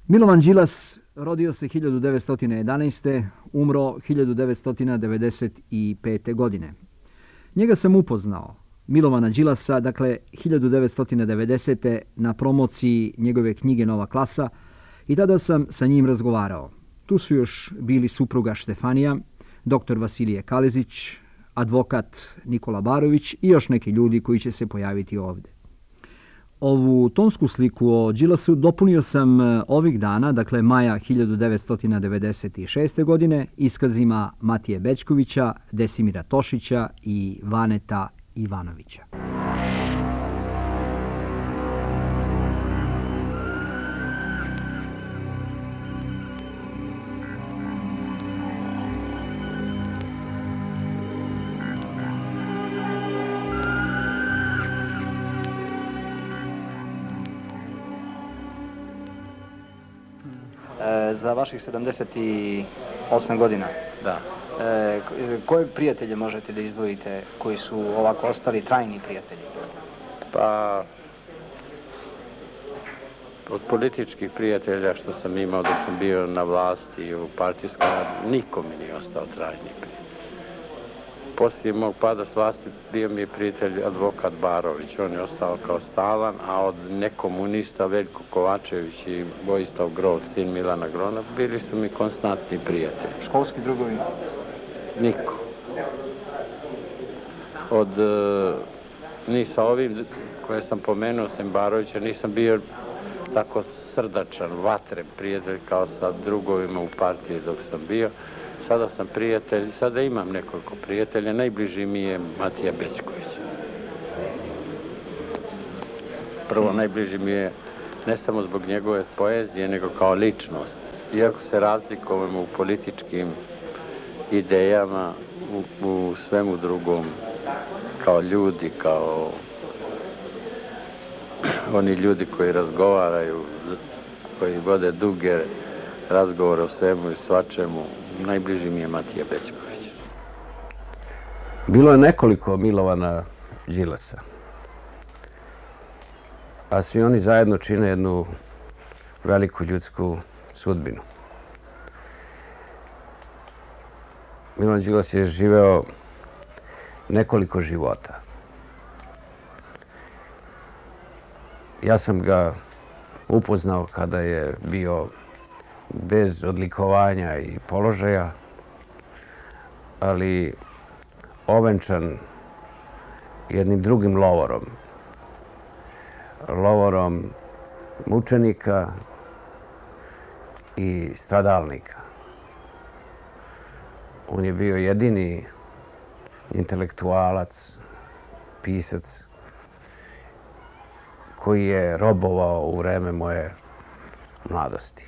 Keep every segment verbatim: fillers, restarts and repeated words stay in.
Milovan Đilas rodio se hiljadu devetsto jedanaeste. umro hiljadu devetsto devedeset pete. godine. Njega sam upoznao, Milovana Đilasa, dakle hiljadu devetsto devedesete. na promociji njegove knjige Nova klasa i tada sam sa njim razgovarao. Tu su još bili supruga Štefanija, doktor Vasilije Kalezić, advokat Nikola Barović i još neki ljudi koji će se pojaviti ovdje. Ovu tonsku sliku o Đilasu dopunio sam ovih dana, dakle maja hiljadu devetsto devedeset šeste. godine, iskazima Matije Bećkovića, Desimira Tošića i Vaneta Ivanovića. Za vaših sedamdeset osam godina, da. E, koje prijatelje možete da izdvojite koji su ovako ostali trajni prijatelji? Pa, od političkih prijatelja što sam imao dok sam bio na vlasti u partijskom, niko mi nije ostao trajni prijatelj. Poslije mog pada s vlasti bio mi je prijatelj advokat Barović, on je ostao kao stalan, a od nekomunista Veljko Kovačević i Vojislav Grot, sin Milana Grona, bili su mi konstantni prijatelji. Školski drugovi? Niko. Od, ni sa ovim koje sam pomenuo, sem Barovića, nisam bio tako srdačan, vatren prijatelj kao sa drugovima u partiji dok sam bio. Sada sam prijatelj, sada imam nekoliko prijatelja, najbliži mi je Matija Bećković. Prvo, najbliži mi je ne samo zbog njegove poezije, nego kao ličnost. Iako se razlikujemo u političkim idejama, u, u svemu drugom, kao ljudi, kao oni ljudi koji razgovaraju, koji vode duge razgovore o svemu i svačemu, najbliži mi je Matija Bećković. Bilo je nekoliko Milovana Đilasa, a svi oni zajedno čine jednu veliku ljudsku sudbinu. Milovan Đilas je živeo nekoliko života. Ja sam ga upoznao kada je bio bez odlikovanja i položaja, ali ovenčan jednim drugim lovorom. Lovorom mučenika i stradalnika. On je bio jedini intelektualac, pisac, koji je robovao u vreme moje mladosti.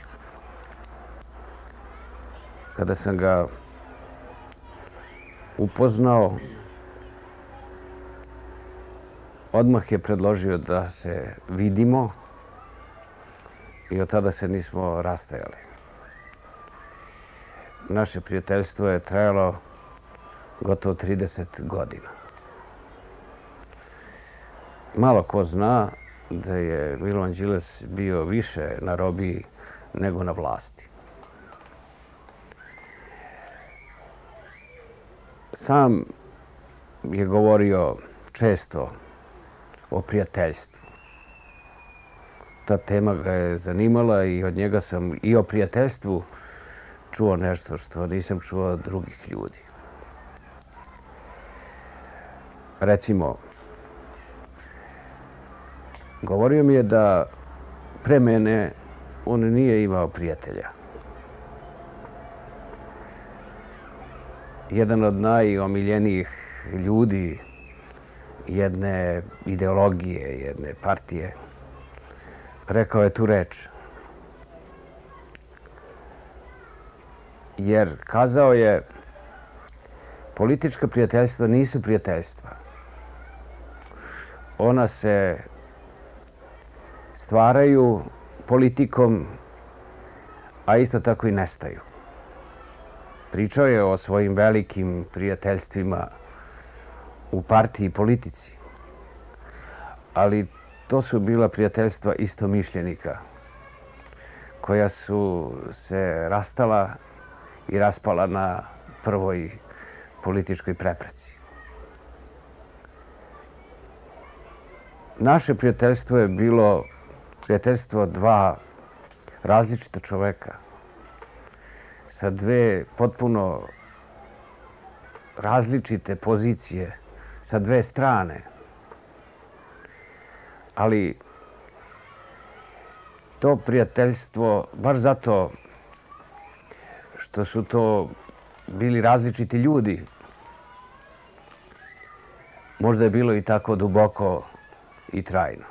Kada sam ga upoznao, odmah je predložio da se vidimo i od tada se nismo rastajali. Naše prijateljstvo je trajalo gotovo trideset godina. Malo ko zna da je Milovan Đilas bio više na robiji nego na vlasti. Sam je govorio često o prijateljstvu. Ta tema ga je zanimala i od njega sam i o prijateljstvu čuo nešto što nisam čuo od drugih ljudi. Recimo, govorio mi je da pre mene on nije imao prijatelja. Jedan od najomiljenijih ljudi jedne ideologije, jedne partije, rekao je tu reč. Jer kazao je, politička prijateljstva nisu prijateljstva. Ona se stvaraju politikom, a isto tako i nestaju. Pričao je o svojim velikim prijateljstvima u partiji i politici, ali to su bila prijateljstva istomišljenika koja su se rastala i raspala na prvoj političkoj prepreci. Naše prijateljstvo je bilo prijateljstvo dva različita čoveka sa dve potpuno različite pozicije, sa dve strane. Ali to prijateljstvo, baš zato što su to bili različiti ljudi, možda je bilo i tako duboko i trajno.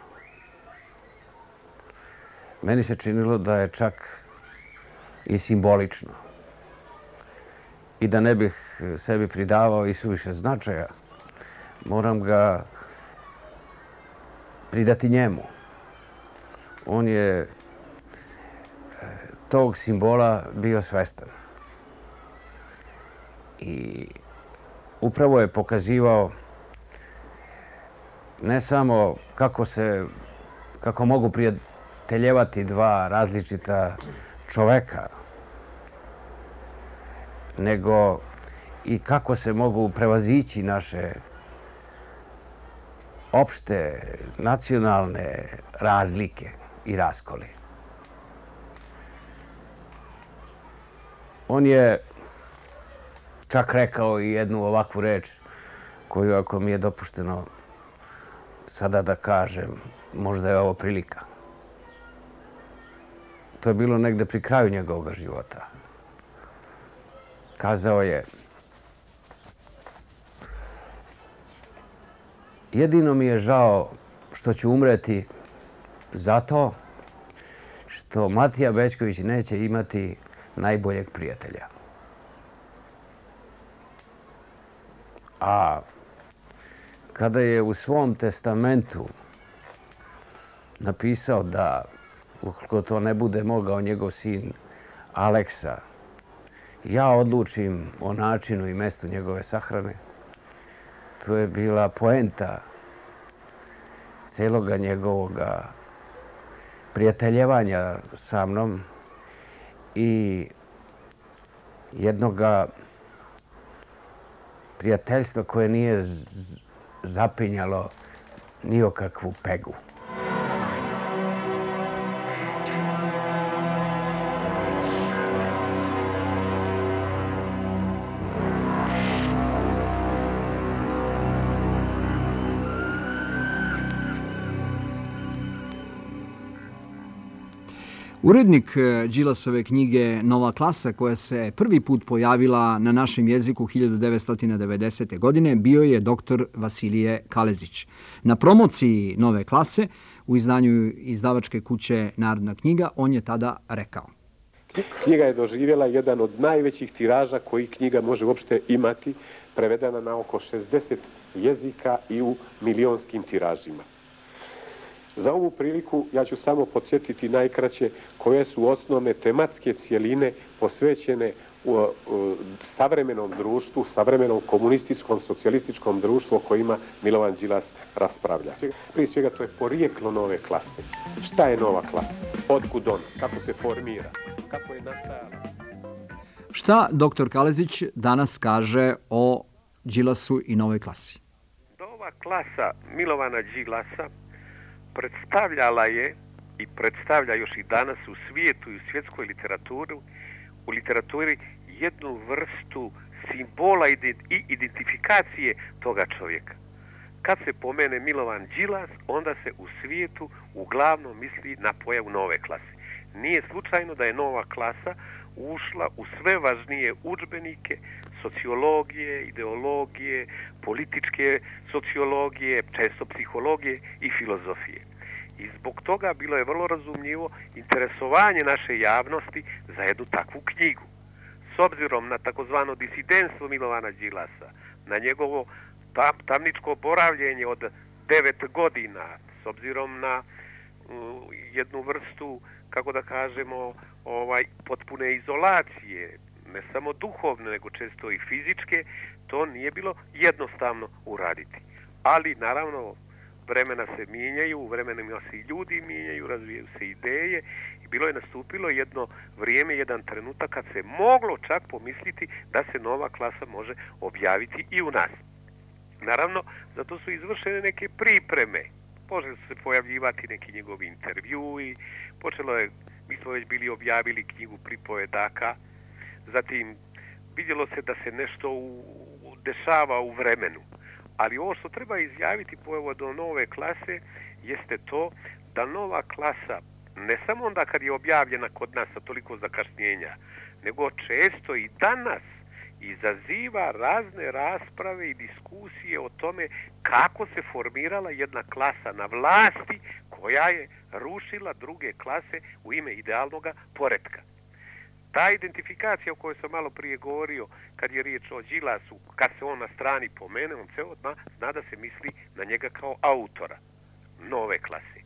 Meni se činilo da je čak i simbolično. I da ne bih sebi pridavao i suviše značaja, moram ga pridati njemu. On je tog simbola bio svestan. I upravo je pokazivao ne samo kako se, kako mogu prijateljevati dva različita čoveka, nego i kako se mogu prevazići naše opšte nacionalne razlike i raskoli. On je čak rekao i jednu ovakvu reč koju, ako mi je dopušteno sada da kažem, možda je ovo prilika. To je bilo negde pri kraju njegovog života. Kazao je: jedino mi je žao što ću umreti zato što Matija Bećković neće imati najboljeg prijatelja. A kada je u svom testamentu napisao da, ukoliko to ne bude mogao njegov sin Aleksa, ja odlučim o načinu i mestu njegove sahrane, to je bila poenta celoga njegovoga prijateljevanja sa mnom i jednoga prijateljstva koje nije zapinjalo ni o kakvu pegu. Urednik Đilasove knjige Nova klasa, koja se prvi put pojavila na našem jeziku hiljadu devetsto devedesete. godine, bio je doktor Vasilije Kalezić. Na promociji Nove klase u izdanju izdavačke kuće Narodna knjiga on je tada rekao: knjiga je doživjela jedan od najvećih tiraža koji knjiga može uopšte imati, prevedena na oko šezdeset jezika i u milionskim tiražima. Za ovu priliku ja ću samo podsjetiti najkraće koje su osnovne tematske cijeline posvećene u, u savremenom društvu, savremenom komunističkom, socijalističkom društvu o kojima Milovan Đilas raspravlja. Prije svega to je porijeklo nove klase. Šta je nova klasa? Otkud ona? Kako se formira? Kako je nastajala? Šta doktor Kalezić danas kaže o Đilasu i novoj klasi? Nova klasa Milovana Đilasa predstavljala je i predstavlja još i danas u svijetu i u svjetskoj literaturi, u literaturi jednu vrstu simbola i identifikacije toga čovjeka. Kad se pomene Milovan Đilas, onda se u svijetu uglavnom misli na pojavu nove klase. Nije slučajno da je nova klasa ušla u sve važnije udžbenike sociologije, ideologije, političke sociologije, često psihologije i filozofije. I zbog toga bilo je vrlo razumljivo interesovanje naše javnosti za jednu takvu knjigu. S obzirom na takozvano disidentstvo Milovana Đilasa, na njegovo tam, tamničko boravljenje od devet godina, s obzirom na uh, jednu vrstu, kako da kažemo, ovaj, potpune izolacije, ne samo duhovne, nego često i fizičke, to nije bilo jednostavno uraditi. Ali, naravno, vremena se mijenjaju, u vremenima se i ljudi mijenjaju, razvijaju se ideje i bilo je nastupilo jedno vrijeme, jedan trenutak kad se moglo čak pomisliti da se nova klasa može objaviti i u nas. Naravno, zato su izvršene neke pripreme. Počeli su se pojavljivati neki njegovi intervjui, počelo je, mi smo već bili objavili knjigu pripovedaka, zatim vidjelo se da se nešto u, dešava u vremenu. Ali ovo što treba izjaviti povodom nove klase jeste to da nova klasa, ne samo onda kad je objavljena kod nas sa toliko zakašnjenja, nego često i danas izaziva razne rasprave i diskusije o tome kako se formirala jedna klasa na vlasti koja je rušila druge klase u ime idealnog poretka. Ta identifikacija o kojoj sam malo prije govorio, kad je riječ o Đilasu, kad se on na strani pomene, on se odmah zna da se misli na njega kao autora nove klase.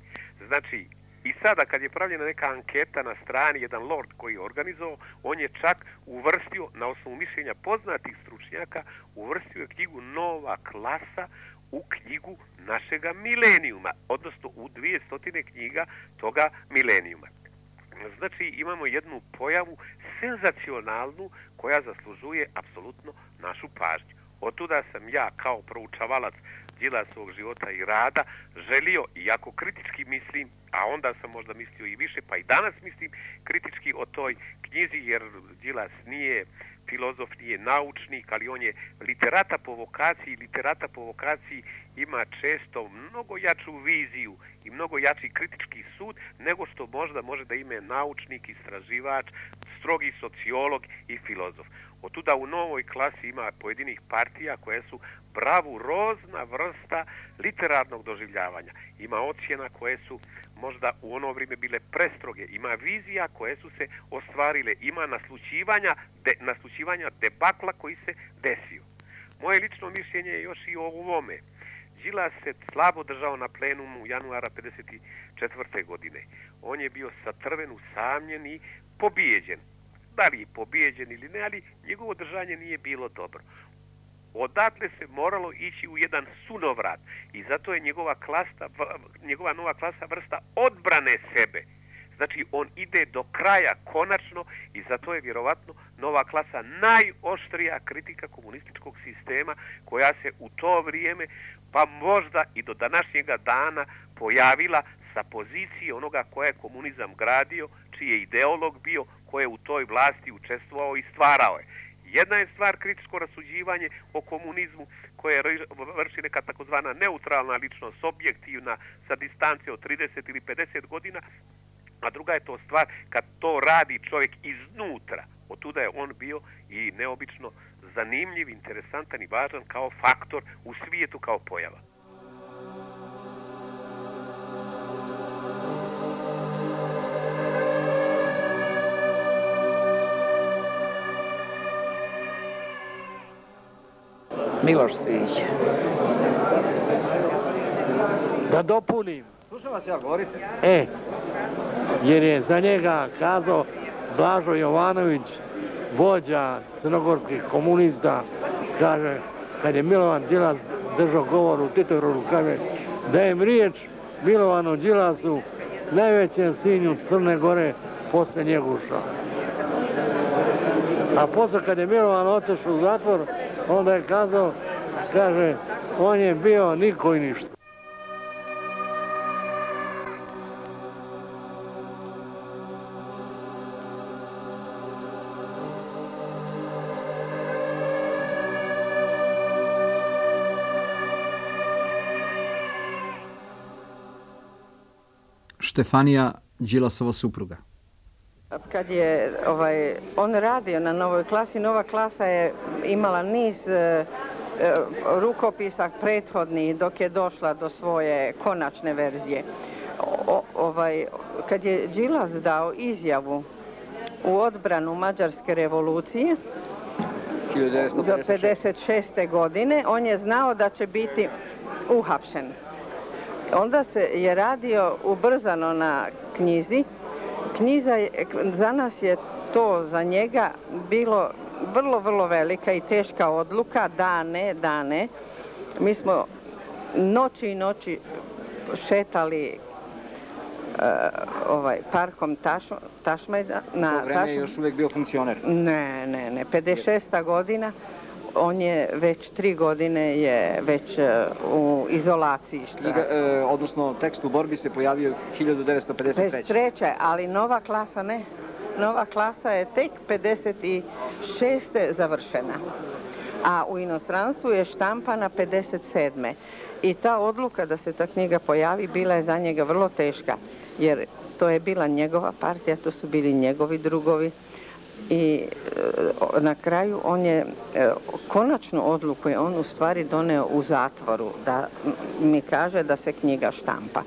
Znači, i sada kad je pravljena neka anketa na strani, jedan lord koji je organizovao, on je čak uvrstio, na osnovu mišljenja poznatih stručnjaka, uvrstio je knjigu Nova klasa u knjigu našega milenijuma, odnosno u dvije stotine knjiga toga milenijuma. Znači, imamo jednu pojavu senzacionalnu koja zaslužuje apsolutno našu pažnju. Otuda sam ja kao proučavalac Đilasovog života i rada želio, iako kritički mislim, a onda sam možda mislio i više, pa i danas mislim kritički o toj knjizi, jer Đilas nije filozof, nije naučnik, ali on je literata po vokaciji. Literata po vokaciji ima često mnogo jaču viziju i mnogo jači kritički sud nego što možda može da ime naučnik, istraživač, strogi sociolog i filozof. Otuda u novoj klasi ima pojedinih partija koje su bravurozna vrsta literarnog doživljavanja. Ima ocjena koje su možda u ono vrijeme bile prestroge, ima vizija koje su se ostvarile, ima naslućivanja, de, naslućivanja debakla koji se desio. Moje lično mišljenje je još i o ovome. Đilas se slabo držao na plenumu januara pedeset četvrte godine. On je bio satrven, usamljen i pobijeđen. Da li je pobijeđen ili ne, ali njegovo držanje nije bilo dobro. Odatle se moralo ići u jedan sunovrat i zato je njegova, klasa, njegova nova klasa vrsta odbrane sebe. Znači, on ide do kraja konačno i zato je vjerovatno nova klasa najoštrija kritika komunističkog sistema koja se u to vrijeme, pa možda i do današnjega dana, pojavila sa pozicije onoga koja je komunizam gradio, čiji je ideolog bio, ko je u toj vlasti učestvovao i stvarao je. Jedna je stvar kritičko rasuđivanje o komunizmu koje vrši neka takozvana neutralna ličnost, objektivna, sa distance od trideset ili pedeset godina, a druga je to stvar kad to radi čovjek iznutra. Otuda je on bio i neobično zanimljiv, interesantan i važan kao faktor u svijetu, kao pojava. Miloš Svić. Da dopunim. Slušam vas, ja govorite. E, jer je za njega kazao Blažo Jovanović, vođa crnogorskih komunista, kaže, kad je Milovan Đilas držao govor u Titorodu, kaže, dajem riječ Milovanu Đilasu, najvećem sinju Crne Gore posle Njeguša. A posle kad je Milovan otišao u zatvor, onda je kazao, kaže, on je bio niko i ništa. Štefanija, Đilasova supruga. Kad je ovaj, on radio na novoj klasi, nova klasa je imala niz e, rukopisa prethodnih dok je došla do svoje konačne verzije. O, ovaj, kad je Đilas dao izjavu u odbranu Mađarske revolucije do pedeset šeste. godine, on je znao da će biti uhapšen. Onda se je radio ubrzano na knjizi. Knjiza je, za nas je to za njega bilo vrlo, vrlo velika i teška odluka, dane, dane. Mi smo noći i noći šetali ovaj, parkom Tašmajdan. Na to vreme je još uvijek bio funkcioner? Ne, ne, ne. pedeset šesta godina. On je već tri godine je već u izolaciji. Knjiga, e, odnosno tekst u borbi se pojavio hiljadu devetsto pedeset treće. Treće, ali nova klasa ne. Nova klasa je tek pedeset šeste završena. A u inostranstvu je štampana pedeset sedme. I ta odluka da se ta knjiga pojavi bila je za njega vrlo teška. Jer to je bila njegova partija, to su bili njegovi drugovi. I na kraju on je, konačnu odluku je on u stvari doneo u zatvoru, da mi kaže da se knjiga štampa.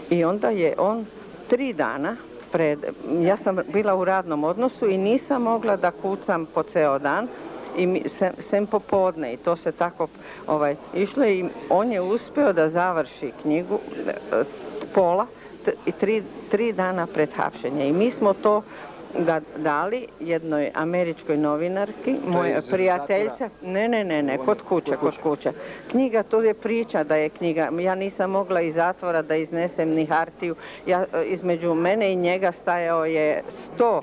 I onda je on tri dana pred, ja sam bila u radnom odnosu i nisam mogla da kucam po ceo dan, i sem, sem popodne i to se tako ovaj, išlo i on je uspio da završi knjigu pola i tri, tri dana pred hapšenje. I mi smo to da dali jednoj američkoj novinarki, moja prijateljica, ne, ne, ne, ne, kod kuće, kod kuće. Knjiga, to je priča da je knjiga, ja nisam mogla iz zatvora da iznesem ni hartiju, ja, između mene i njega stajao je sto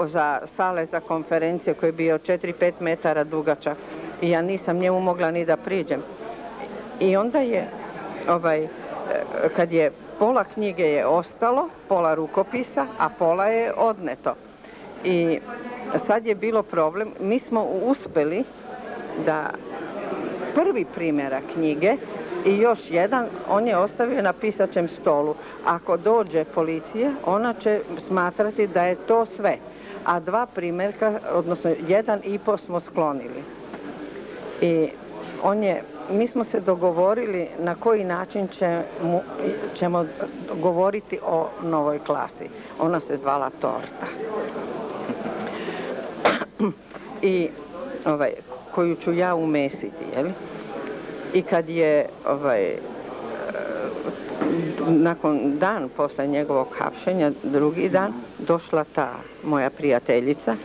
za sale za konferencije koji je bio četiri pet metara dugačak i ja nisam njemu mogla ni da priđem. I onda je, ovaj, kad je pola knjige je ostalo, pola rukopisa, a pola je odneto. I sad je bilo problem, mi smo uspeli da prvi primjerak knjige i još jedan, on je ostavio na pisaćem stolu. Ako dođe policija, ona će smatrati da je to sve. A dva primjerka, odnosno jedan i po smo sklonili. I on je, mi smo se dogovorili na koji način će mu, ćemo govoriti o novoj klasi. Ona se zvala Torta. I ovaj, koju ću ja umesiti, jel? I kad je ovaj, nakon dan posle njegovog hapšenja, drugi dan, došla ta moja prijateljica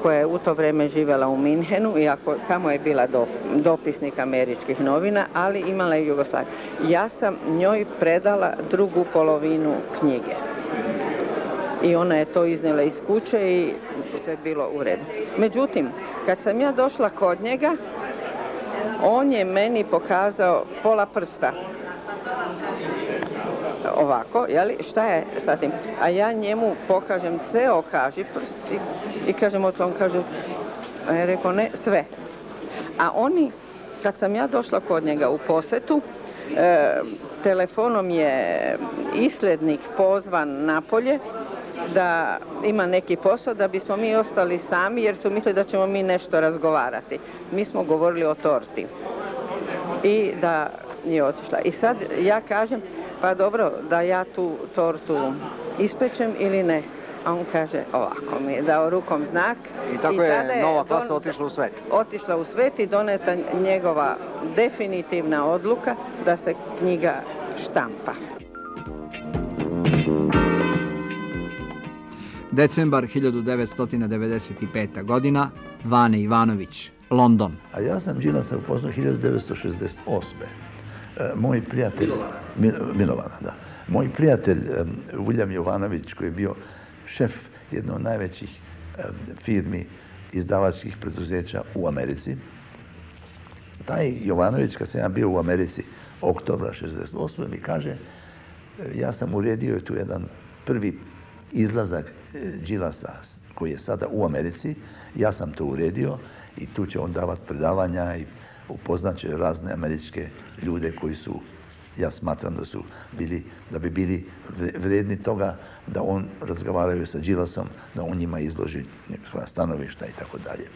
koja je u to vreme živjela u Minhenu, iako tamo je bila do, dopisnik američkih novina, ali imala je Jugoslaviju. Ja sam njoj predala drugu polovinu knjige. I ona je to iznijela iz kuće i sve bilo u redu. Međutim, kad sam ja došla kod njega, on je meni pokazao pola prsta. Ovako, jeli, šta je sa tim? A ja njemu pokažem ceo kaži prst i, i kažem, on kaže, a ja rekao, ne, sve. A oni, kad sam ja došla kod njega u posetu, e, telefonom je islednik pozvan napolje da ima neki posao, da bismo mi ostali sami, jer su mislili da ćemo mi nešto razgovarati. Mi smo govorili o torti. I da je otišla. I sad ja kažem, pa dobro, da ja tu tortu ispečem ili ne? A on kaže, ovako mi je dao rukom znak. I tako I je nova klasa don, otišla u svet. Otišla u svet i doneta njegova definitivna odluka da se knjiga štampa. Decembar hiljadu devetsto devedeset pete. godina, Vane Ivanović, London. A ja sam Đilasa upoznao hiljadu devetsto šezdeset osme. Moj prijatelj... Milovana. Milovana, da. Moj prijatelj Vuljam Jovanović, koji je bio šef jedne od najvećih firmi izdavačkih preduzeća u Americi. Taj Jovanović, kad sam ja bio u Americi oktobra šezdeset osme. mi kaže, ja sam uredio tu jedan prvi izlazak Đilasa koji je sada u Americi, ja sam to uredio i tu će on davati predavanja i upoznaće razne američke ljude koji su, ja smatram da su bili, da bi bili vredni toga da on razgovaraju sa Đilasom, da on njima izloži svoja stanovišta i tako dalje.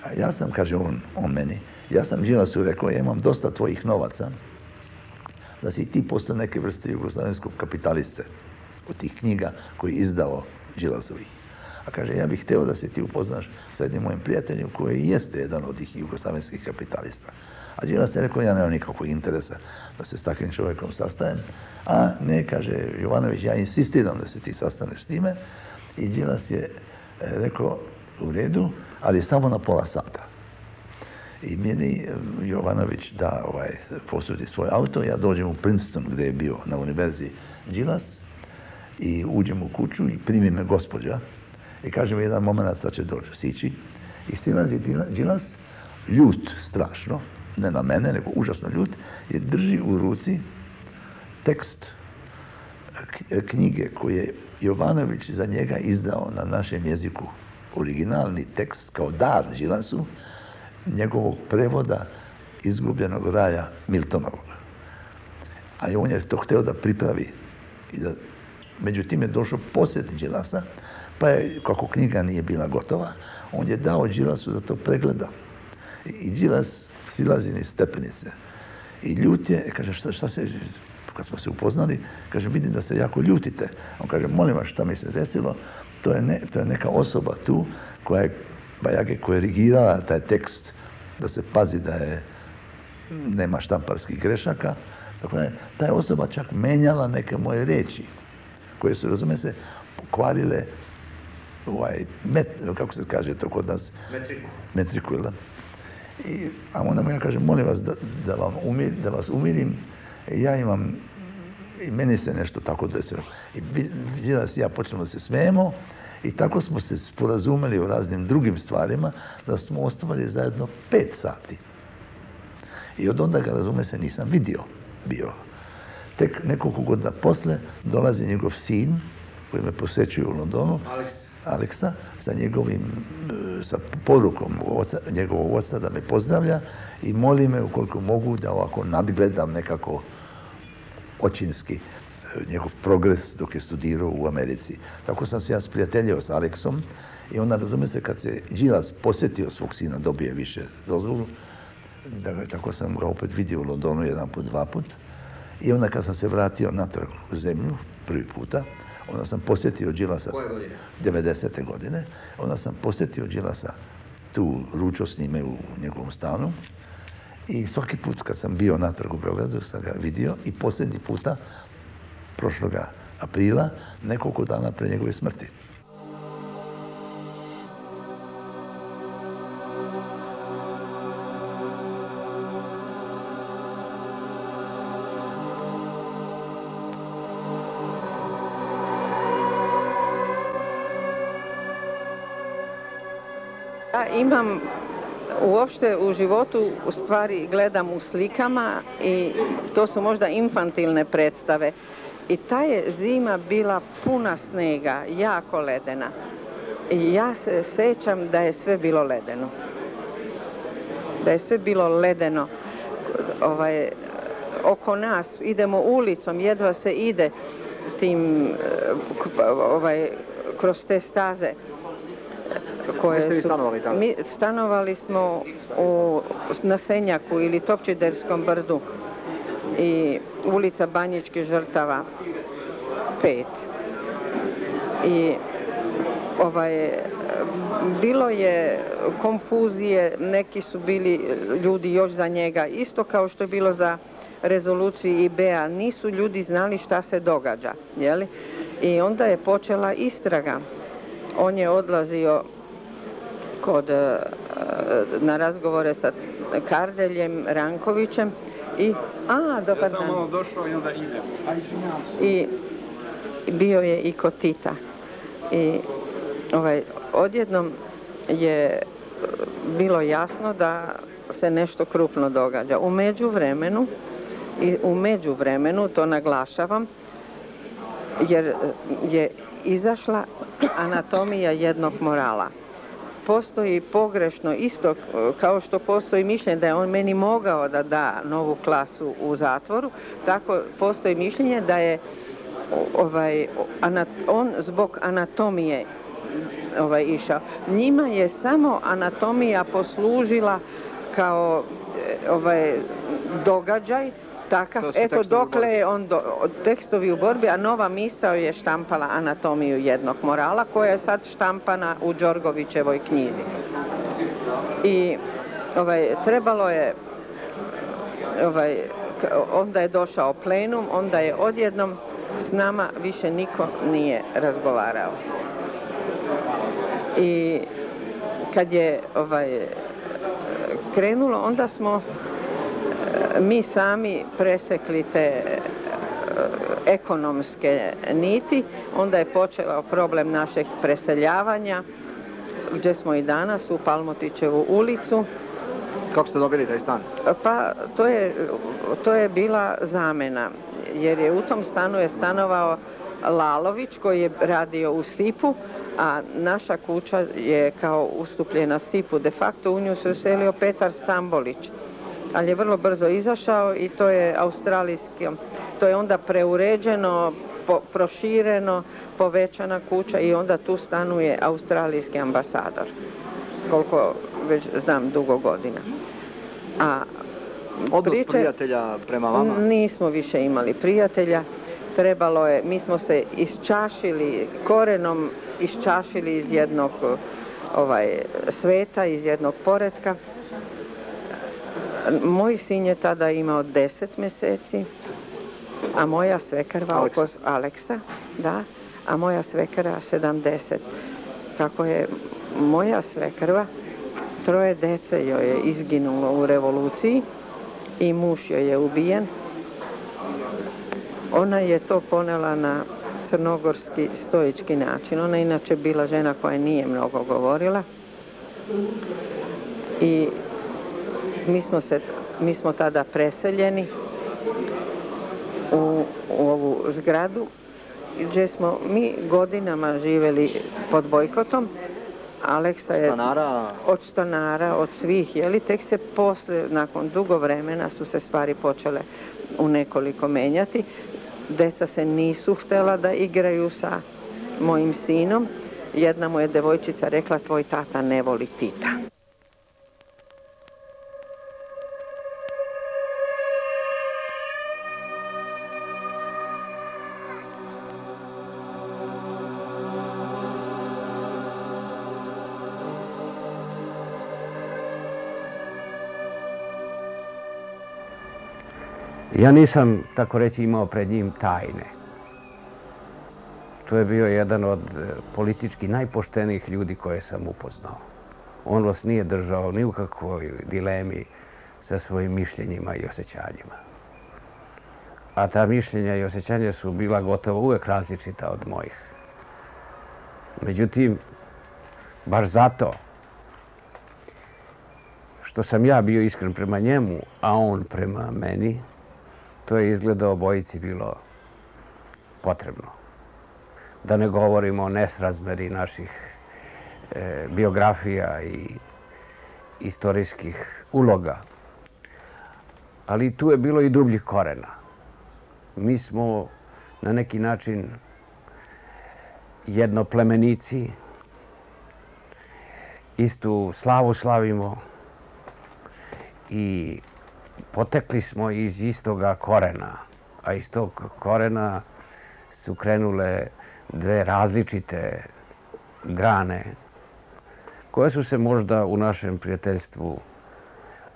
A ja sam, kaže on, on meni, ja sam Đilasu rekao, ja imam dosta tvojih novaca, da si ti postao neke vrste jugoslavenskog kapitaliste od tih knjiga koji je izdao Đilasovih. A kaže, ja bih hteo da se ti upoznaš sa jednim mojim prijateljem koji jeste jedan od tih jugoslavenskih kapitalista. A Đilas je rekao, ja nemam nikakvog interesa da se s takvim čovjekom sastajem. A ne, kaže Jovanović, ja insistiram da se ti sastaneš s time. I Đilas je rekao, u redu, ali samo na pola sata. I meni Jovanović da ovaj, posudi svoj auto, ja dođem u Princeton gdje je bio na univerziji Đilas i uđem u kuću i primi me gospođa i kaže mi jedan moment, sad će doći sići i silazi Đilas, ljut strašno, ne na mene, nego užasno ljut, i drži u ruci tekst knjige koje je Jovanović za njega izdao na našem jeziku, originalni tekst kao dar Đilasu, njegovog prevoda Izgubljenog raja Miltonovog. A on je to htio da pripravi. I da, međutim je došao posjet Đilasa, pa je, kako knjiga nije bila gotova, on je dao Đilasu da to pregleda. I, i Đilas silazi niz stepenice. I ljut je, kaže, šta, šta se, kad smo se upoznali, kaže, vidim da se jako ljutite. On kaže, molim vas, šta mi se desilo, to je, ne, to je neka osoba tu koja je Bajage korigirala taj tekst da se pazi da je nema štamparskih grešaka. Dakle, ta je osoba čak menjala neke moje reči koje su, razume se, pokvarile ovaj, met, kako se kaže to kod nas? Metriku. Metriku, da? I, a onda mu ja kažem, molim vas da, da, vam umir, da vas umirim, ja imam, i meni se nešto tako desilo. I Đilas i ja počnemo da se smijemo i tako smo se sporazumeli o raznim drugim stvarima da smo ostavali zajedno pet sati. I od onda ga, razume se, nisam vidio bio. Tek nekoliko godina posle dolazi njegov sin koji me posjećuje u Londonu, Alex. Aleksa, sa njegovim, sa porukom oca, njegovog oca da me pozdravlja i moli me ukoliko mogu da ovako nadgledam nekako očinski njegov progres dok je studirao u Americi. Tako sam se ja sprijateljio s Aleksom i onda, razume se, kad se Đilas posjetio svog sina, dobije više dozvolu, da, tako sam ga opet vidio u Londonu jedan put, dva put. I onda kad sam se vratio natrag u zemlju, prvi puta, onda sam posjetio Đilasa. Koje godine? devedesete godine. Onda sam posjetio Đilasa tu, ručao s njime u njegovom stanu. I svaki put kad sam bio natrag u Beogradu sam ga vidio i posljednji puta prošloga aprila, nekoliko dana pre njegove smrti. Ja imam uopšte u životu, u stvari gledam u slikama i to su možda infantilne predstave. I ta je zima bila puna snega, jako ledena. I ja se sećam da je sve bilo ledeno. Da je sve bilo ledeno. Ovaj, oko nas idemo ulicom, jedva se ide tim, ovaj, kroz te staze. Gdje ste vi stanovali tamo? Mi stanovali smo u, na Senjaku ili Topčiderskom brdu i ulica Banjičkih žrtava pet. I ovaj, bilo je konfuzije, neki su bili ljudi još za njega, isto kao što je bilo za rezoluciju I B-a, nisu ljudi znali šta se događa, jeli? I onda je počela istraga. On je odlazio kod, na razgovore sa Kardeljem, Rankovićem i, a, dobar dan. Ja sam malo došao i onda idem. A izvinjavam se. I bio je i kod Tita. I ovaj, odjednom je bilo jasno da se nešto krupno događa. U međuvremenu, i u međuvremenu, to naglašavam, jer je izašla anatomija jednog morala. Postoji pogrešno, isto kao što postoji mišljenje da je on meni mogao da da novu klasu u zatvoru, tako postoji mišljenje da je ovaj, on zbog anatomije ovaj, išao. Njima je samo anatomija poslužila kao ovaj, događaj, takav, eto dokle je on do, tekstovi u borbi, a Nova misao je štampala anatomiju jednog morala koja je sad štampana u Đorgovićevoj knjizi. I ovaj, trebalo je, ovaj, onda je došao plenum, onda je odjednom s nama više niko nije razgovarao. I kad je ovaj, krenulo, onda smo mi sami presekli te ekonomske niti, onda je počeo problem našeg preseljavanja, gdje smo i danas u Palmotićevu ulicu. Kako ste dobili taj stan? Pa to je, to je bila zamena, jer je u tom stanu je stanovao Lalović koji je radio u Sipu, a naša kuća je kao ustupljena Sipu. De facto u nju se uselio Petar Stambolić, ali je vrlo brzo izašao i to je australijski, to je onda preuređeno, po, prošireno, povećana kuća i onda tu stanuje australijski ambasador, koliko već znam dugo godina. A odnos priče, prijatelja prema vama? Nismo više imali prijatelja, trebalo je, mi smo se isčašili, korenom isčašili iz jednog ovaj, sveta, iz jednog poretka. Moj sin je tada imao deset mjeseci, a moja svekrva Aleksa. oko Aleksa, da, a moja svekra sedamdeset. Kako je moja svekrva, troje dece joj je izginulo u revoluciji i muž joj je ubijen. Ona je to ponela na crnogorski stoički način. Ona je inače bila žena koja nije mnogo govorila i mi smo, se, mi smo tada preseljeni u, u ovu zgradu gdje smo mi godinama živjeli pod bojkotom. Aleksa je stanara. Od stanara, od svih, jeli, tek se posle, nakon dugo vremena su se stvari počele u nekoliko menjati. Deca se nisu htjela da igraju sa mojim sinom. Jedna mu je devojčica rekla, tvoj tata ne voli Tita. Ja nisam, tako reći, imao pred njim tajne. To je bio jedan od politički najpoštenijih ljudi koje sam upoznao. On vas nije držao ni u kakvoj dilemi sa svojim mišljenjima i osjećanjima. A ta mišljenja i osjećanja su bila gotovo uvek različita od mojih. Međutim, baš zato što sam ja bio iskren prema njemu, a on prema meni, to je izgleda obojici bilo potrebno. Da ne govorimo o nesrazmeri naših e, biografija i istorijskih uloga. Ali tu je bilo i dubljih korena. Mi smo na neki način jednoplemenici, istu slavu slavimo i potekli smo iz istoga korena, a iz tog korena su krenule dve različite grane koje su se možda u našem prijateljstvu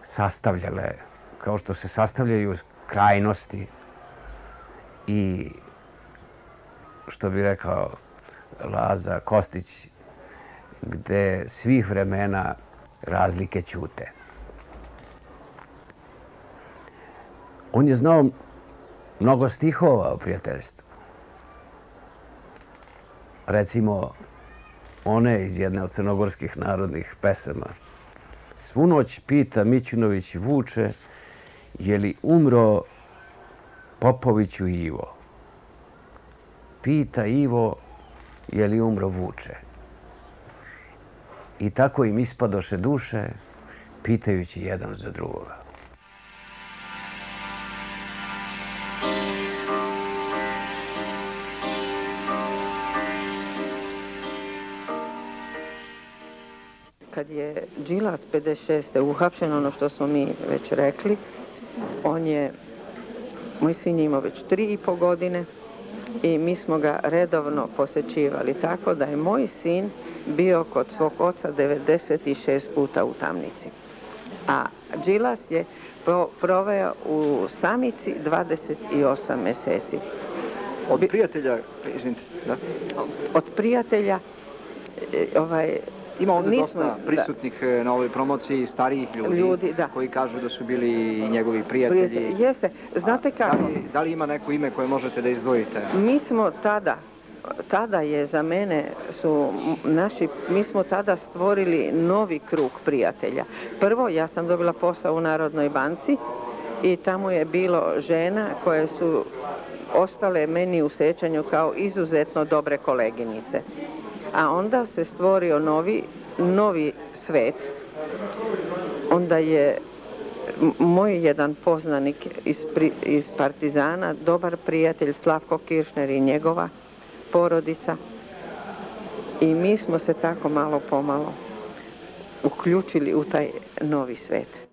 sastavljale kao što se sastavljaju krajnosti i, što bi rekao Laza Kostić, gde svih vremena razlike ćute. On je znao mnogo stihova o prijateljstvu. Recimo, one iz jedne od crnogorskih narodnih pesama. Svu noć pita Mićunović Vuče, je li umro Popoviću Ivo? Pita Ivo, je li umro Vuče? I tako im ispadoše duše, pitajući jedan za drugoga. Kad je Đilas pedeset šeste uhapšen, ono što smo mi već rekli, on je, moj sin je imao već tri i po godine i mi smo ga redovno posećivali, tako da je moj sin bio kod svog oca devedeset šest puta u tamnici. A Đilas je proveo u samici dvadeset osam mjeseci. Od prijatelja, izvinite, da? Od prijatelja, ovaj, Ima ovdje nismo, dosta prisutnih da. na ovoj promociji starijih ljudi, ljudi da. koji kažu da su bili i njegovi prijatelji. Prijatelj, jeste. Znate kako? Da li, da li ima neko ime koje možete da izdvojite? Mi smo tada, tada je za mene su naši, mi smo tada stvorili novi krug prijatelja. Prvo, ja sam dobila posao u Narodnoj banci i tamo je bilo žena koje su ostale meni u sećanju kao izuzetno dobre koleginice. A onda se stvorio novi, novi svet. Onda je moj jedan poznanik iz, iz Partizana, dobar prijatelj Slavko Kiršner i njegova porodica. I mi smo se tako malo pomalo uključili u taj novi svet.